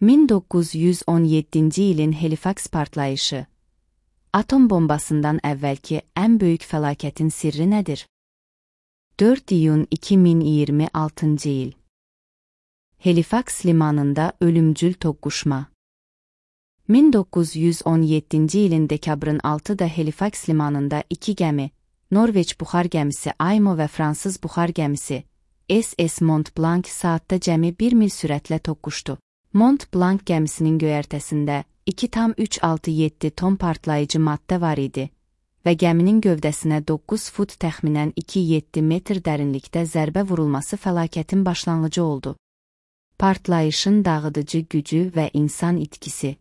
1917-ci ilin Halifax partlayışı. Atom bombasından əvvəlki ən böyük fəlakətin sirri nədir? 4 iyun 2026-cı il. Halifax limanında ölümcül toqquşma. 1917-ci ilin dekabrın 6-da Halifax limanında iki gəmi, Norveç buxar gəmisi Aymo və Fransız buxar gəmisi SS Mont Blanc saatda cəmi 1 mil sürətlə toqquşdu. Mont Blanc gəmisinin göyərtəsində 2,367 ton partlayıcı maddə var idi və gəminin gövdəsinə 9 fut təxminən 2,7 metr dərinlikdə zərbə vurulması fəlakətin başlanğıcı oldu. Partlayışın dağıdıcı gücü və insan itkisi.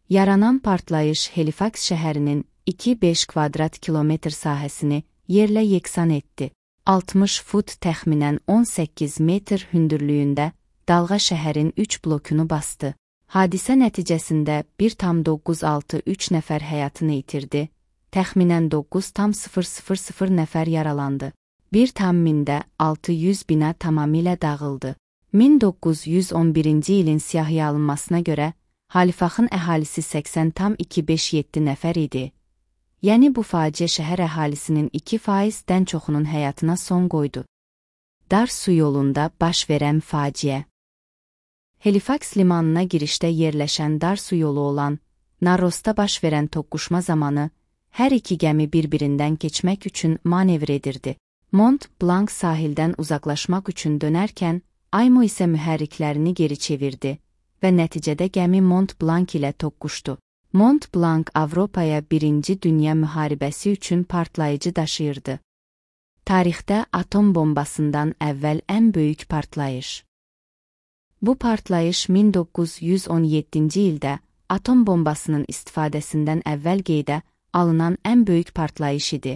Yaranan partlayış Halifax şəhərinin 2,5 kvadrat kilometr sahəsini yerlə yeksan etdi. 60 fut təxminən 18 metr hündürlüyündə dalğa şəhərin 3 blokunu bastı. Hadisə nəticəsində 1,963 nəfər həyatını itirdi, təxminən 9,000 nəfər yaralandı. 1,600 bina tamamilə dağıldı. 1911-ci ilin siyahıya alınmasına görə, Halifaxın əhalisi 80,257 nəfər idi. Yəni bu faciə şəhər əhalisinin 2%-dən çoxunun həyatına son qoydu. Dar su yolunda baş verən faciə. Halifax limanına girişdə yerləşən dar su yolu olan Narrosda baş verən toqquşma zamanı hər iki gəmi bir-birindən keçmək üçün manevr edirdi. Mont Blanc sahildən uzaqlaşmaq üçün dönərkən, Aymo isə mühərriklərini geri çevirdi və nəticədə gəmi Mont Blanc ilə toqquşdu. Mont Blanc Avropaya 1-ci Dünya müharibəsi üçün partlayıcı daşıyırdı. Tarixdə atom bombasından əvvəl ən böyük partlayış. Bu partlayış 1917-ci ildə atom bombasının istifadəsindən əvvəl qeydə alınan ən böyük partlayış idi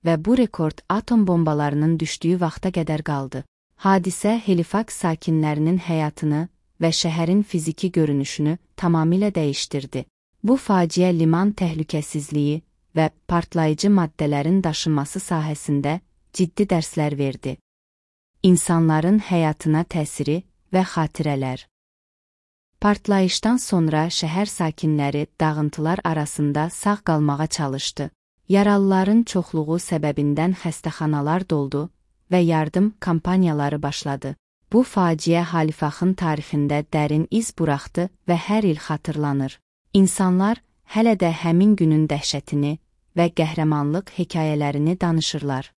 və bu rekord atom bombalarının düşdüyü vaxta qədər qaldı. Hadisə Halifax sakinlərinin həyatını və şəhərin fiziki görünüşünü tamamilə dəyişdirdi. Bu faciə liman təhlükəsizliyi və partlayıcı maddələrin daşınması sahəsində ciddi dərslər verdi. İnsanların həyatına təsiri və xatirələr. Partlayışdan sonra şəhər sakinləri dağıntılar arasında sağ qalmağa çalışdı. Yaralıların çoxluğu səbəbindən xəstəxanalar doldu və yardım kampaniyaları başladı. Bu faciə Halifaxın tarixində dərin iz buraxdı və hər il xatırlanır. İnsanlar hələ də həmin günün dəhşətini və qəhrəmanlıq hekayələrini danışırlar.